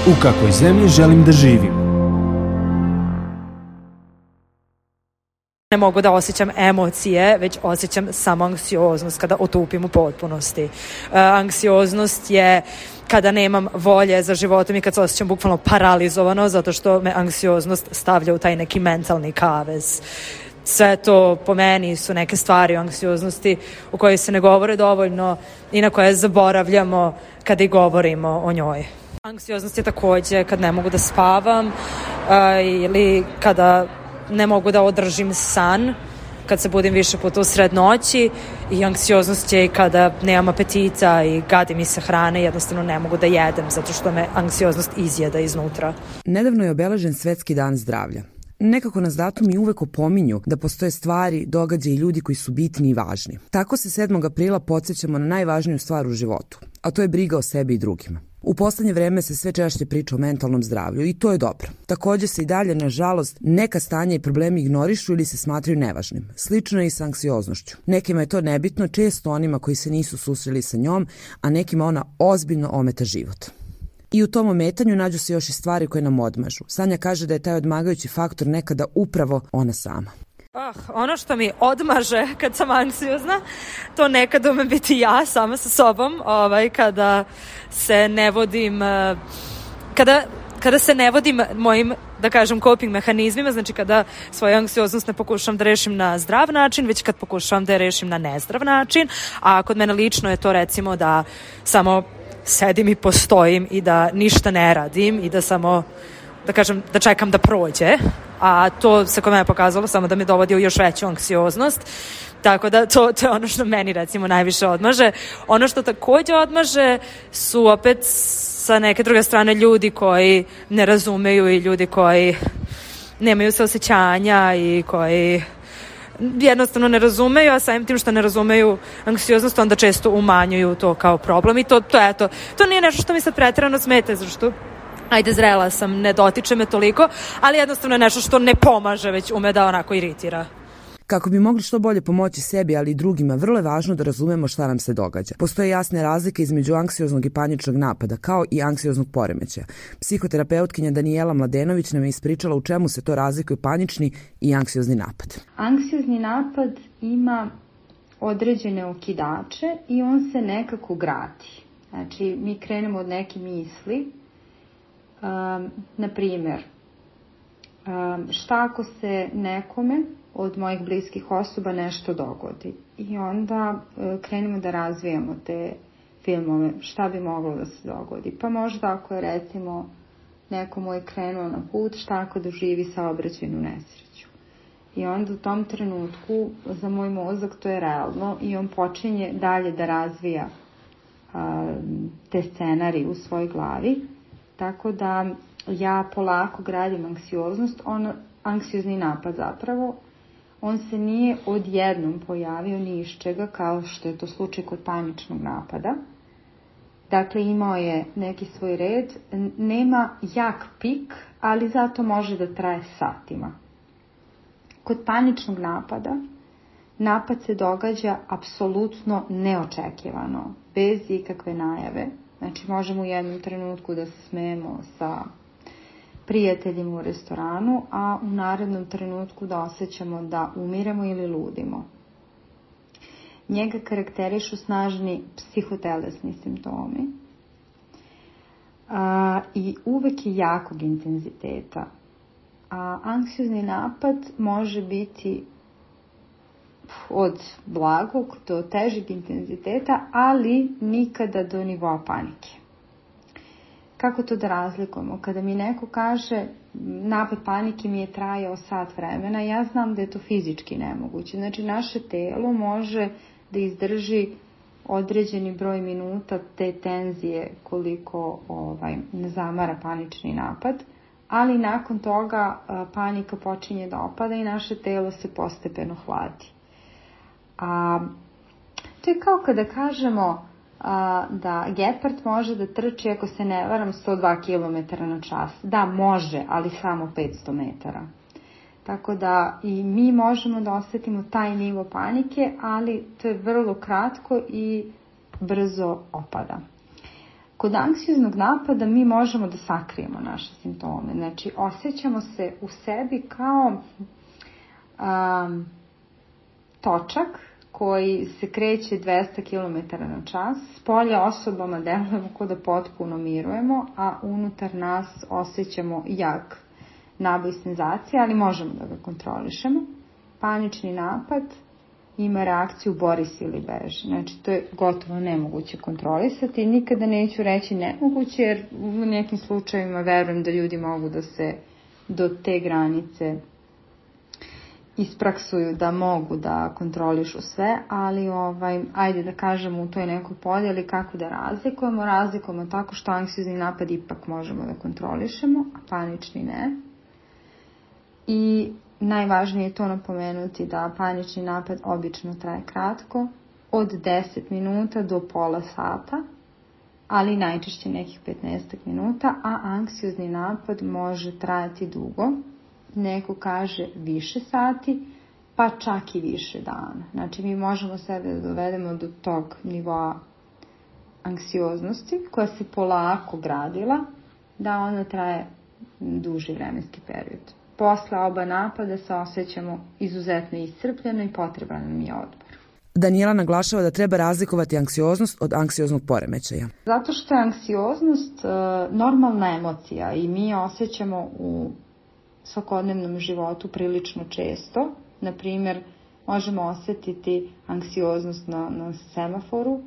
U kakvoj zemlji želim da živim? Ne mogu da osjećam emocije, već osjećam samo anksioznost kada otupim u potpunosti. Anksioznost je kada nemam volje za životom i kad se osjećam bukvalno paralizovano zato što me anksioznost stavlja u taj neki mentalni kavez. Sve to po meni su neke stvari o anksioznosti u kojoj se ne govore dovoljno i na koje zaboravljamo kada i govorimo o njoj. Anksioznost je takođe kad ne mogu da spavam ili kada ne mogu da održim san, kad se budim više puta u sred noći, i anksioznost je i kada nemam apetita i gadi mi se hrane, jednostavno ne mogu da jedem zato što me anksioznost izjeda iznutra. Nedavno je obeležen Svetski dan zdravlja. Nekako nas datumi uvek opominju da postoje stvari, događaji i ljudi koji su bitni i važni. Tako se 7. aprila podsjećamo na najvažniju stvar u životu, a to je briga o sebi i drugima. U poslednje vreme se sve češće priča o mentalnom zdravlju i to je dobro. Takođe se i dalje, nažalost, neka stanja i problemi ignorišu ili se smatraju nevažnim. Slično je i sa anksioznošću. Nekima je to nebitno, često onima koji se nisu susreli sa njom, a nekima ona ozbiljno ometa život. I u tom ometanju nađu se još i stvari koje nam odmažu. Sanja kaže da je taj odmagajući faktor nekada upravo ona sama. Ono što mi odmaže kad sam anksiozna, to nekada ume biti ja sama sa sobom, kada se ne vodim, kada se ne vodim mojim, da kažem, coping mehanizmima, znači kada svoju anksioznost ne pokušavam da rešim na zdrav način, već kad pokušavam da je rešim na nezdrav način, a kod mene lično je to recimo da samo sedim i postojim i da ništa ne radim i da samo, da kažem, da čekam da prođe, a to se kod mene pokazalo samo da me dovodi u još veću anksioznost, tako da to je ono što meni recimo najviše odmaže. Ono što takođe odmaže su opet sa neke druge strane ljudi koji ne razumeju i ljudi koji nemaju saosećanja i koji jednostavno ne razumeju, a samim tim što ne razumeju anksioznost, onda često umanjuju to kao problem i to nije nešto što mi sad preterano smeta, zašto zrela sam, ne dotiče me toliko, ali jednostavno je nešto što ne pomaže, već ume da onako iritira. Kako bi mogli što bolje pomoći sebi, ali i drugima, vrlo je važno da razumemo šta nam se događa. Postoje jasne razlike između anksioznog i paničnog napada, kao i anksioznog poremećaja. Psihoterapeutkinja Danijela Mladenović nam je ispričala u čemu se to razlikuju panični i anksiozni napad. Anksiozni napad ima određene okidače i on se nekako gradi. Znači, mi krenemo od neke misli, na primjer, šta ako se nekome od mojih bliskih osoba nešto dogodi, i onda krenemo da razvijamo te filmove, šta bi moglo da se dogodi. Pa možda ako je recimo neko moj krenuo na put, šta ako doživi saobraćajnu nesreću. I onda u tom trenutku za moj mozak to je realno i on počinje dalje da razvija te scenarije u svojoj glavi, tako da ja polako gradim anksioznost, anksiozni napad zapravo. On se nije odjednom pojavio ni iz čega, kao što je to slučaj kod paničnog napada. Dakle, imao je neki svoj red, nema jak pik, ali zato može da traje satima. Kod paničnog napada, napad se događa apsolutno neočekivano, bez ikakve najave. Znači, možemo u jednom trenutku da se smejemo sa prijateljima u restoranu, a u narednom trenutku da osjećamo da umiremo ili ludimo. Njega karakterišu snažni psihotelesni simptomi i uvek je jakog intenziteta. Anksiozni napad može biti od blagog do težeg intenziteta, ali nikada do nivoa panike. Kako to da razlikujemo? Kada mi neko kaže napad panike mi je trajao sat vremena, ja znam da je to fizički nemoguće. Znači, naše telo može da izdrži određeni broj minuta te tenzije koliko ne zamara panični napad, ali nakon toga panika počinje da opada i naše telo se postepeno hladi. To je kao kada kažemo da gepard može da trči, ako se ne varam, 102 km na čas. Da, može, ali samo 500 metara. Tako da i mi možemo da osetimo taj nivo panike, ali to je vrlo kratko i brzo opada. Kod anksioznog napada mi možemo da sakrijemo naše simptome. Znači, osjećamo se u sebi kao točak koji se kreće 200 km na čas. Spolja osobama delujemo kao da potpuno mirujemo, a unutar nas osjećamo jak naboj senzacije, ali možemo da ga kontrolišemo. Panični napad ima reakciju bori se ili beži. Znači, to je gotovo nemoguće kontrolisati. Nikada neću reći nemoguće, jer u nekim slučajevima verujem da ljudi mogu da se do te granice ispraksuju da mogu da kontrolišu sve, ali ajde da kažemo u toj nekoj podjeli kako da razlikujemo. Razlikujemo tako što anksiozni napad ipak možemo da kontrolišemo, a panični ne. I najvažnije je to napomenuti da panični napad obično traje kratko, od 10 minuta do pola sata, ali najčešće nekih 15 minuta, a anksiozni napad može trajati dugo. Neko kaže više sati, pa čak i više dana. Znači, mi možemo sebe da dovedemo do tog nivoa anksioznosti koja se polako gradila, da ona traje duži vremenski period. Posle oba napada se osjećamo izuzetno iscrpljeno i potreban nam je odmor. Daniela naglašava da treba razlikovati anksioznost od anksioznog poremećaja. Zato što je anksioznost normalna emocija i mi osjećamo u svakodnevnom životu prilično često. Na primjer, možemo osjetiti anksioznost na semaforu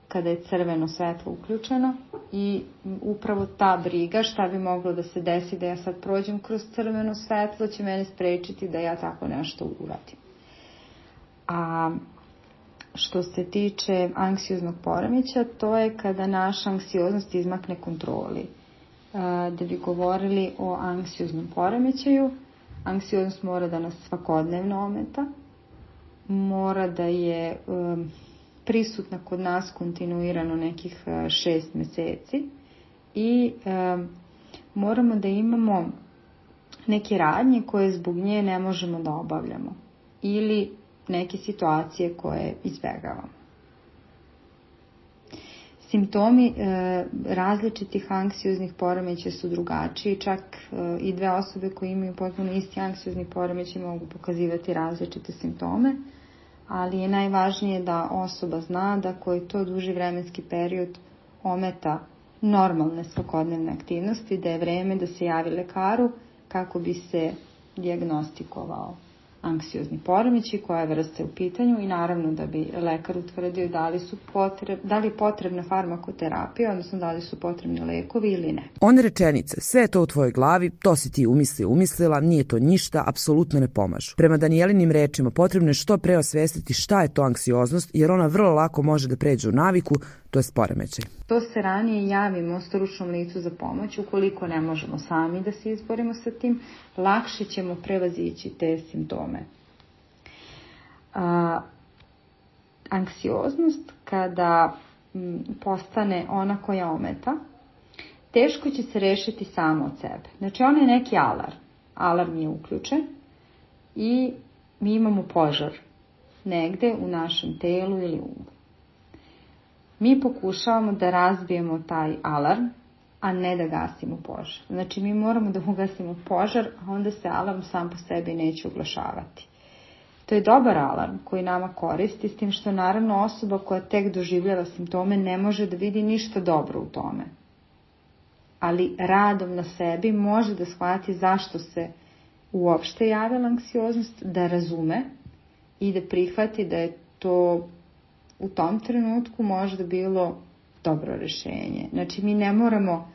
kada je crveno svetlo uključeno i upravo ta briga šta bi moglo da se desi da ja sad prođem kroz crveno svetlo će mene sprečiti da ja tako nešto uradim. A što se tiče anksioznog poremećaja, to je kada naša anksioznost izmakne kontroli. Da bi govorili o anksioznom poremećaju, anksioznost mora da nas svakodnevno ometa, mora da je prisutna kod nas kontinuirano nekih 6 meseci i moramo da imamo neke radnje koje zbog nje ne možemo da obavljamo ili neke situacije koje izbegavamo. Simptomi različitih anksioznih poremećaja su drugačiji, čak i dve osobe koje imaju potpuno isti anksiozni poremećaj mogu pokazivati različite simptome, ali je najvažnije da osoba zna da koji to duži vremenski period ometa normalne svakodnevne aktivnosti, da je vreme da se javi lekaru kako bi se dijagnostikovao anksiozni poremećaj, koja je vrsta u pitanju i naravno da bi lekar utvrdio da li je potrebna farmakoterapija, odnosno da li su potrebni lekovi ili ne. One rečenice, sve je to u tvojoj glavi, to si ti umislila, nije to ništa, apsolutno ne pomažu. Prema Danielinim rečima, potrebno je što pre osvestiti šta je to anksioznost, jer ona vrlo lako može da pređe u naviku, to je poremećaj. To se ranije javimo stručnom licu za pomoć, ukoliko ne možemo sami da se izborimo sa tim, lakše ćemo prevazići te simptome. Anksioznost, kada postane ona koja ometa, teško će se rešiti samo od sebe. Znači, on je neki alarm. Alarm je uključen i mi imamo požar negde u našem telu ili umu. Mi pokušavamo da razbijemo taj alarm, a ne da gasimo požar. Znači, mi moramo da ugasimo požar, a onda se alarm sam po sebi neće oglašavati. To je dobar alarm koji nama koristi, s tim što naravno osoba koja tek doživljava simptome ne može da vidi ništa dobro u tome. Ali radom na sebi može da shvati zašto se uopšte javila anksioznost, da razume i da prihvati da je to u tom trenutku možda bilo dobro rešenje. Znači, mi ne moramo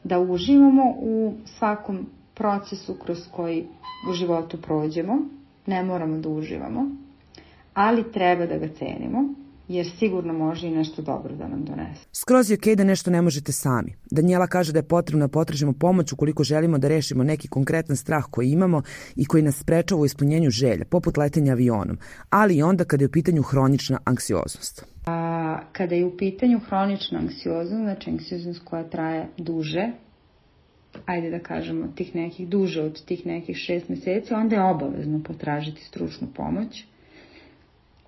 da uživamo u svakom procesu kroz koji u životu prođemo, ne moramo da uživamo, ali treba da ga cenimo, jer sigurno može i nešto dobro da nam donese. Skroz je okej da nešto ne možete sami. Daniela kaže da je potrebno da potražimo pomoć ukoliko želimo da rešimo neki konkretan strah koji imamo i koji nas sprečava u ispunjenju želja, poput letenja avionom, ali i onda kada je u pitanju hronična anksioznost. Kada je u pitanju hronična anksioznost, znači anksioznost koja traje duže, ajde da kažemo duže od tih nekih 6 meseci, onda je obavezno potražiti stručnu pomoć.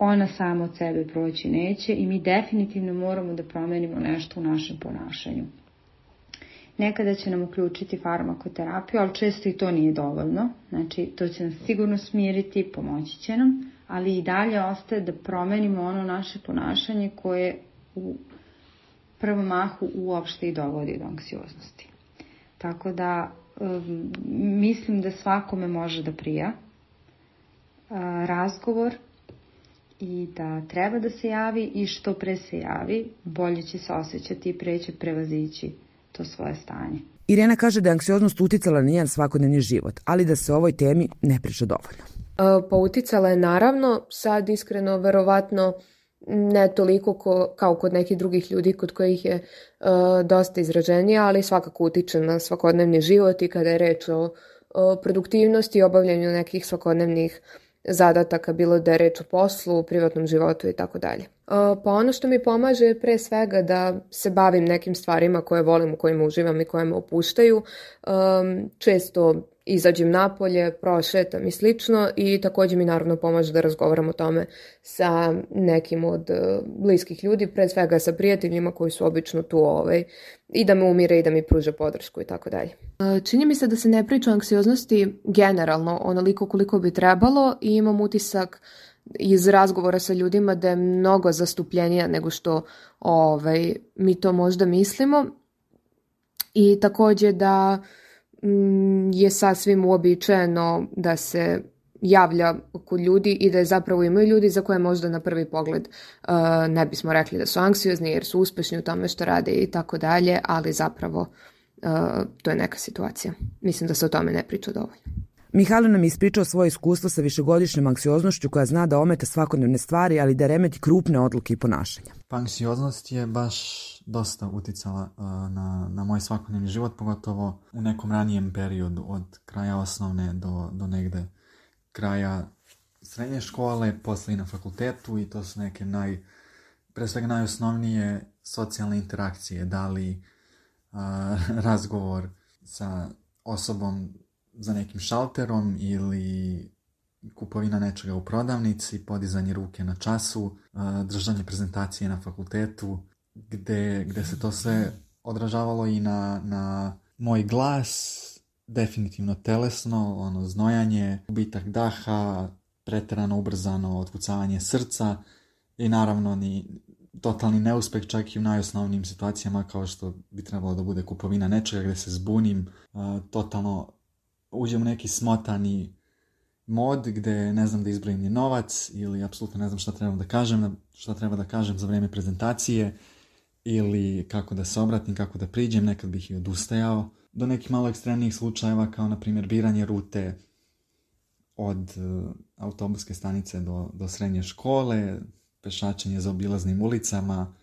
ona sama od sebe proći neće i mi definitivno moramo da promenimo nešto u našem ponašanju. Nekada će nam uključiti farmakoterapiju, ali često i to nije dovoljno. Znači, to će nas sigurno smiriti, pomoći će nam, ali i dalje ostaje da promenimo ono naše ponašanje koje u prvom mahu uopšte i dovodi do anksioznosti. Tako da mislim da svakome može da prija razgovor i da treba da se javi i što pre se javi, bolje će se osjećati i pre će prevazići to svoje stanje. Irena kaže da je anksioznost uticala na njen svakodnevni život, ali da se o ovoj temi ne priča dovoljno. Pa uticala je naravno, sad iskreno verovatno ne toliko kao kod nekih drugih ljudi kod kojih je dosta izraženija, ali svakako utiče na svakodnevni život i kada je reč o produktivnosti i obavljanju nekih svakodnevnih zadataka, bilo da je reč o poslu, privatnom životu i tako dalje. Pa ono što mi pomaže je pre svega da se bavim nekim stvarima koje volim, u kojima uživam i koje me opuštaju. Često izađem napolje, prošetam i slično i također mi naravno pomaže da razgovaram o tome sa nekim od bliskih ljudi, pre svega sa prijateljima koji su obično tu i da me umire i da mi pruže podršku i tako dalje. Čini mi se da se ne priča o anksioznosti generalno onoliko koliko bi trebalo i imam utisak iz razgovora sa ljudima da je mnogo zastupljenija nego što mi to možda mislimo i također da je sasvim uobičajeno da se javlja kod ljudi i da je zapravo imaju ljudi za koje možda na prvi pogled ne bismo rekli da su anksiozni jer su uspešni u tome što rade i tako dalje, ali zapravo to je neka situacija. Mislim da se o tome ne priča dovoljno. Mihajlo nam je ispričao svoje iskustvo sa višegodišnjom anksioznošću koja zna da ometa svakodnevne stvari, ali da remeti krupne odluke i ponašanja. Pa anksioznost je baš dosta uticala na moj svakodnevni život, pogotovo u nekom ranijem periodu od kraja osnovne do negde kraja srednje škole, posle i na fakultetu i to su neke pre svega najosnovnije socijalne interakcije, da li razgovor sa osobom za nekim šalterom ili kupovina nečega u prodavnici, podizanje ruke na času, držanje prezentacije na fakultetu, gde se to sve odražavalo i na moj glas, definitivno telesno, znojanje, gubitak daha, preterano ubrzano otkucavanje srca i naravno totalni neuspeh čak i u najosnovnijim situacijama kao što bi trebalo da bude kupovina nečega gde se zbunim, totalno uđem u neki smotani mod gde ne znam da izbrojim ni novac ili apsolutno ne znam šta treba da kažem za vreme prezentacije ili kako da se obratim, kako da priđem, nekad bih i odustajao. Do nekih malo ekstremnijih slučajeva kao na primjer biranje rute od autobuske stanice do srednje škole, pešačenje za obilaznim ulicama,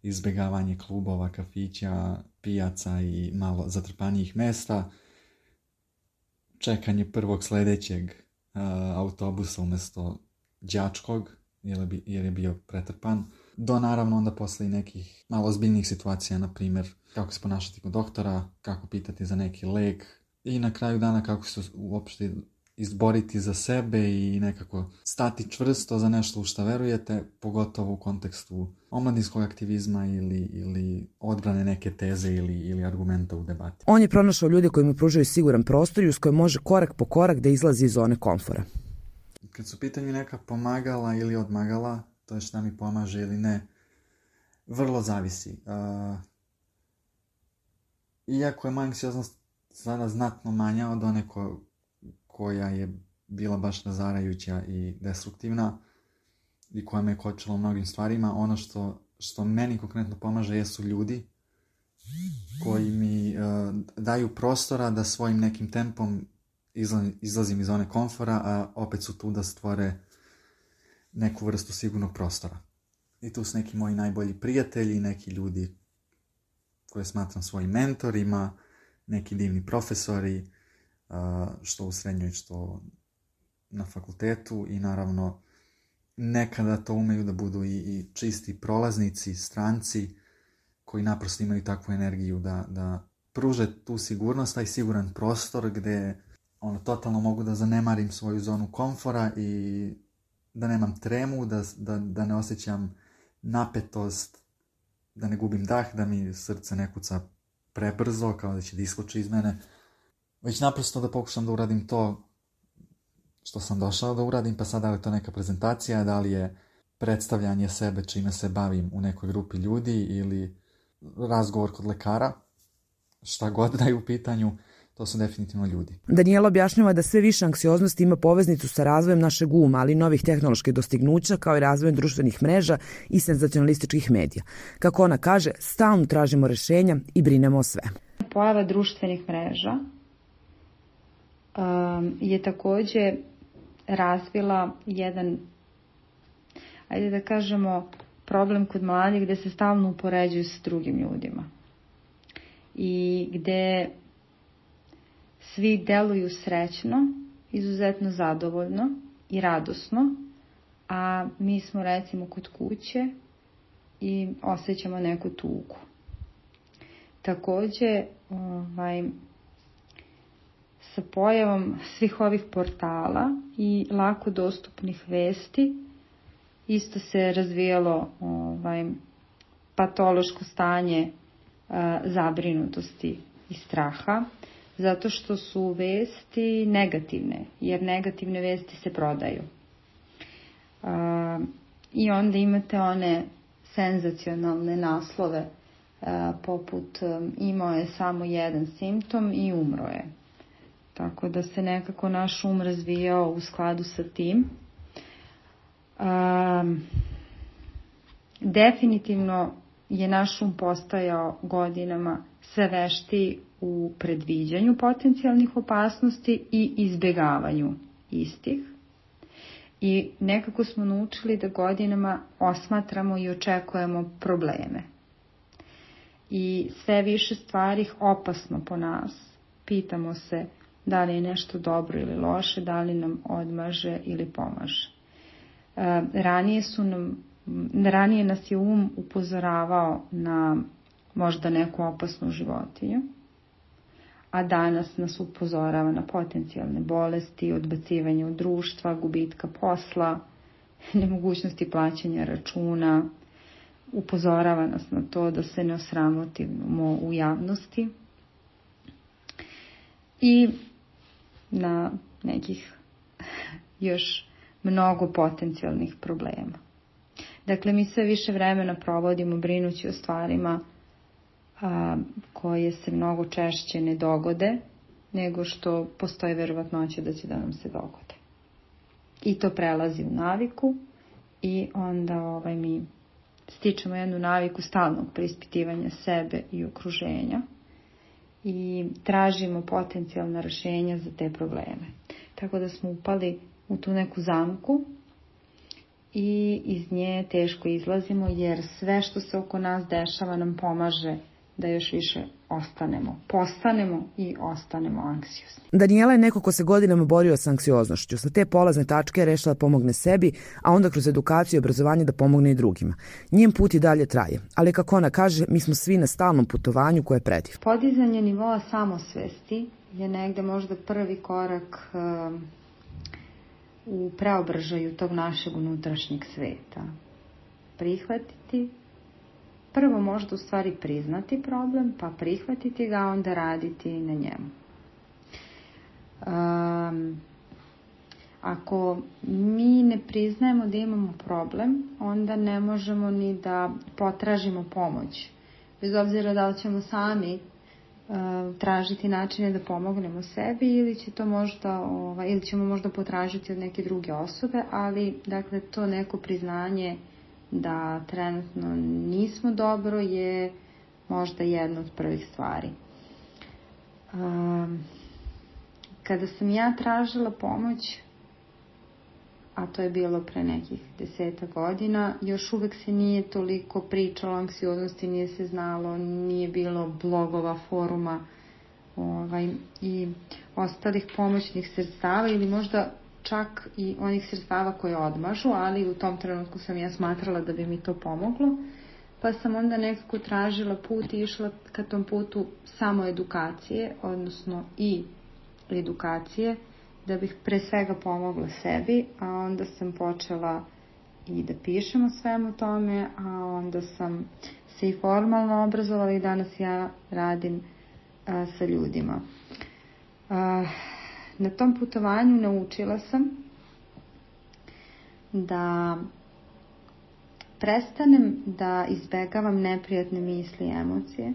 izbjegavanje klubova, kafića, pijaca i malo zatrpanijih mesta, čekanje prvog sljedećeg autobusa umjesto đačkog jer je bio pretrpan, do naravno onda posle i nekih malo ozbiljnijih situacija, na primjer kako se ponašati kod doktora, kako pitati za neki lek i na kraju dana kako se uopšte izboriti za sebe i nekako stati čvrsto za nešto u što verujete, pogotovo u kontekstu omladinskog aktivizma ili odbrane neke teze ili argumenta u debati. On je pronašao ljude koji mu pružaju siguran prostor i uz koje može korak po korak da izlazi iz zone komfora. Kad su pitanju neka pomagala ili odmagala, to je šta mi pomaže ili ne, vrlo zavisi. Iako je moja anksioznost sada znatno manja od one koja je bila baš razarajuća i destruktivna i koja me kočila u mnogim stvarima, ono što meni konkretno pomaže jesu ljudi koji mi daju prostora da svojim nekim tempom izlazim iz zone komfora, a opet su tu da stvore neku vrstu sigurnog prostora. I tu su neki moji najbolji prijatelji, neki ljudi koje smatram svojim mentorima, neki divni profesori, što u srednjoj, što na fakultetu i naravno nekada to umeju da budu i čisti prolaznici, stranci koji naprosto imaju takvu energiju da pruže tu sigurnost, taj siguran prostor gde totalno mogu da zanemarim svoju zonu komfora i da nemam tremu, da ne osjećam napetost, da ne gubim dah, da mi srce ne kuca prebrzo, kao da će da iskoči iz mene, već naprosto da pokušam da uradim to što sam došao da uradim, pa sad da li je to neka prezentacija, da li je predstavljanje sebe čime se bavim u nekoj grupi ljudi ili razgovor kod lekara, šta god da je u pitanju, to su definitivno ljudi. Danijela objašnjava da sve više anksioznosti ima poveznicu sa razvojem našeg uma, ali i novih tehnoloških dostignuća, kao i razvojem društvenih mreža i senzacionalističkih medija. Kako ona kaže, stalno tražimo rešenja i brinemo o svemu. Pojava društvenih mreža je takođe razvila jedan, ajde da kažemo, problem kod mladih gde se stalno upoređuju s drugim ljudima i gde svi deluju srećno, izuzetno zadovoljno i radosno, a mi smo recimo kod kuće i osjećamo neku tugu. Takođe, sa pojavom svih ovih portala i lako dostupnih vesti, isto se razvijalo patološko stanje zabrinutosti i straha, zato što su vesti negativne, jer negativne vesti se prodaju. I onda imate one senzacionalne naslove, poput imao je samo jedan simptom i umro je. Tako da se nekako naš um razvijao u skladu sa tim. Definitivno je naš um postajao godinama sve veštiji u predviđanju potencijalnih opasnosti i izbegavanju istih. I nekako smo naučili da godinama osmatramo i očekujemo probleme. I sve više stvari opasno po nas. Pitamo se da li je nešto dobro ili loše, da li nam odmaže ili pomaže. Ranije nas je um upozoravao na možda neku opasnu životinju, a danas nas upozorava na potencijalne bolesti, odbacivanje od društva, gubitka posla, nemogućnosti plaćanja računa, upozorava nas na to da se ne osramotimo u javnosti i na nekih još mnogo potencijalnih problema. Dakle, mi sve više vremena provodimo brinući o stvarima koje se mnogo češće ne dogode, nego što postoji verovatnoća da će da nam se dogode. I to prelazi u naviku i onda mi stičemo jednu naviku stalnog preispitivanja sebe i okruženja i tražimo potencijalna rešenja za te probleme. Tako da smo upali u tu neku zamku i iz nje teško izlazimo, jer sve što se oko nas dešava nam pomaže da još više postanemo i ostanemo anksiozni. Danijela je neko ko se godinama borio sa anksioznošću. Sa te polazne tačke je rešila da pomogne sebi, a onda kroz edukaciju i obrazovanje da pomogne i drugima. Njen put i dalje traje, ali kako ona kaže, mi smo svi na stalnom putovanju koje je predivno. Podizanje nivoa samosvesti je negde možda prvi korak u preobražaju tog našeg unutrašnjeg sveta. Prihvatiti, prvo možda u stvari priznati problem, pa prihvatiti ga, onda raditi na njemu. Ako mi ne priznajemo da imamo problem, onda ne možemo ni da potražimo pomoć. Bez obzira da li ćemo sami tražiti načine da pomognemo sebi ili ćemo možda potražiti od neke druge osobe, ali dakle to neko priznanje da trenutno nismo dobro je možda jedna od prvih stvari. Kada sam ja tražila pomoć, a to je bilo pre nekih 10 godina, još uvek se nije toliko pričalo o anksioznosti, nije se znalo, nije bilo blogova, foruma i ostalih pomoćnih sredstava ili možda čak i onih sredstava koje odmažu, ali u tom trenutku sam ja smatrala da bi mi to pomoglo, pa sam onda nekako tražila put i išla ka tom putu samo edukacije, odnosno i edukacije, da bih pre svega pomogla sebi, a onda sam počela i da pišem o svemu tome, a onda sam se i formalno obrazovala i danas ja radim sa ljudima. Na tom putovanju naučila sam da prestanem da izbegavam neprijatne misli i emocije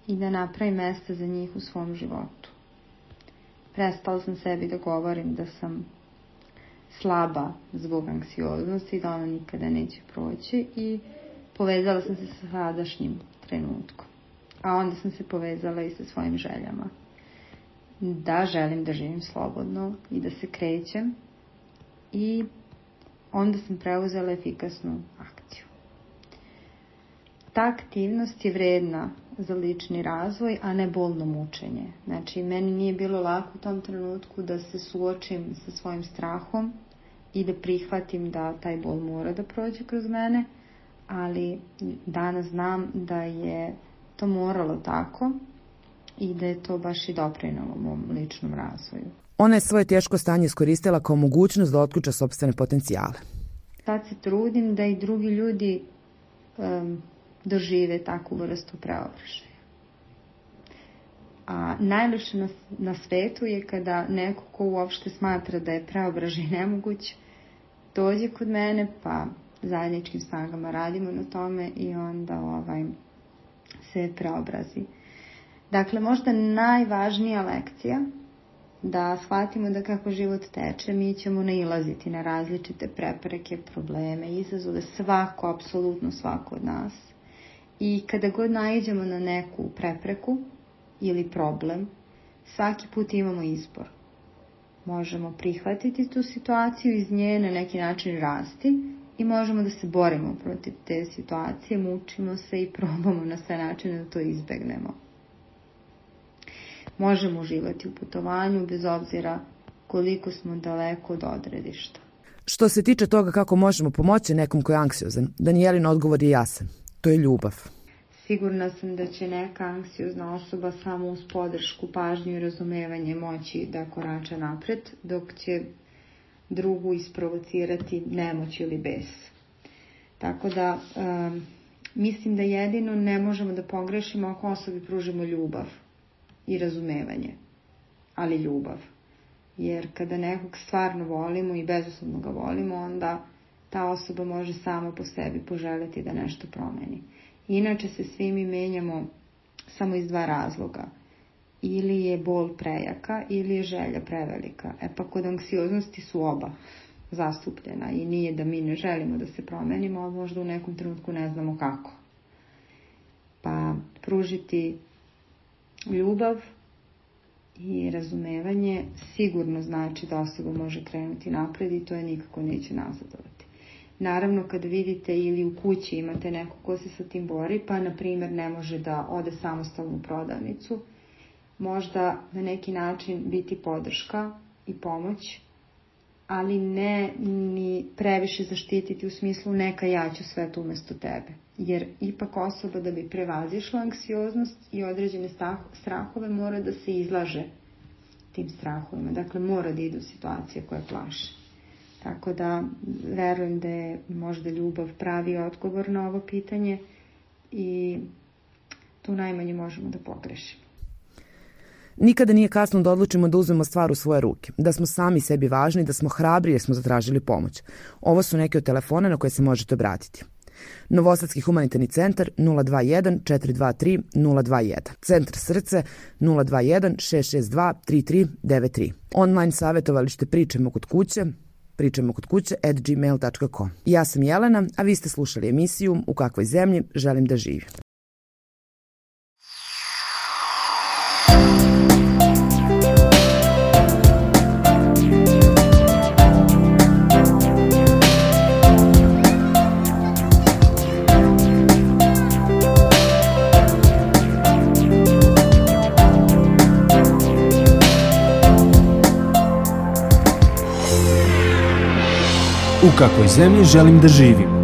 i da napravim mesta za njih u svom životu. Prestala sam sebi da govorim da sam slaba zbog anksioznosti, da ona nikada neće proći i povezala sam se sa sadašnjim trenutkom. A onda sam se povezala i sa svojim željama. Da želim da živim slobodno i da se krećem i onda sam preuzela efikasnu akciju. Ta aktivnost je vredna za lični razvoj, a ne bolno mučenje. Znači, meni nije bilo lako u tom trenutku da se suočim sa svojim strahom i da prihvatim da taj bol mora da prođe kroz mene, ali danas znam da je to moralo tako i da je to baš i doprinelo mom ličnom razvoju. Ona je svoje teško stanje iskoristila kao mogućnost da otključa sopstvene potencijale. Sad se trudim da i drugi ljudi dožive takvu vrstu preobražaja. A najlepše na svetu je kada neko ko uopšte smatra da je preobražaj nemoguć, dođe kod mene, pa zajedničkim snagama radimo na tome i onda se preobrazi. Dakle, možda najvažnija lekcija da shvatimo da kako život teče, mi ćemo nailaziti na različite prepreke, probleme, izazove, svako, apsolutno svako od nas. I kada god naiđemo na neku prepreku ili problem, svaki put imamo izbor. Možemo prihvatiti tu situaciju, iz nje na neki način rasti i možemo da se borimo protiv te situacije, mučimo se i probamo na sve načine da to izbegnemo. Možemo uživati u putovanju bez obzira koliko smo daleko od odredišta. Što se tiče toga kako možemo pomoći nekom ko je anksiozan, Danijelin odgovor je jasan. To je ljubav. Sigurna sam da će neka anksiozna osoba samo uz podršku, pažnju i razumevanje moći da korača napred, dok će drugu isprovocirati nemoć ili bes. Tako da mislim da jedino ne možemo da pogrešimo ako osobi pružimo ljubav i razumevanje, ali ljubav. Jer kada nekog stvarno volimo i bezuslovno ga volimo, onda ta osoba može sama po sebi poželjeti da nešto promeni. Inače se svi mi menjamo samo iz dva razloga. Ili je bol prejaka ili je želja prevelika. Pa kod anksioznosti su oba zastupljena i nije da mi ne želimo da se promenimo, ali možda u nekom trenutku ne znamo kako. Pa pružiti ljubav i razumevanje sigurno znači da osoba može krenuti napred i to je nikako neće nazadovati. Naravno, kad vidite ili u kući imate neko ko se sa tim bori, pa na primjer ne može da ode samostalno u prodavnicu, možda na neki način biti podrška i pomoć, ali ne ni previše zaštititi u smislu neka ja ću sve to umesto tebe. Jer ipak osoba da bi prevazišla anksioznost i određene strahove mora da se izlaže tim strahovima. Dakle, mora da ide u situacije koje plaše. Tako da verujem da je možda ljubav pravi odgovor na ovo pitanje i tu najmanje možemo da pogrešimo. Nikada nije kasno da odlučimo da uzmemo stvar u svoje ruke, da smo sami sebi važni, da smo hrabri jer smo zatražili pomoć. Ovo su neke od telefona na koje se možete obratiti. Novosadski humanitarni centar 021 423 021. Centar Srce 021 662 3393. Online savjetovalište Pričamo kod kuće @gmail.com. Ja sam Jelena, a vi ste slušali emisiju U kakvoj zemlji želim da živim. U kakvoj zemlji želim da živim.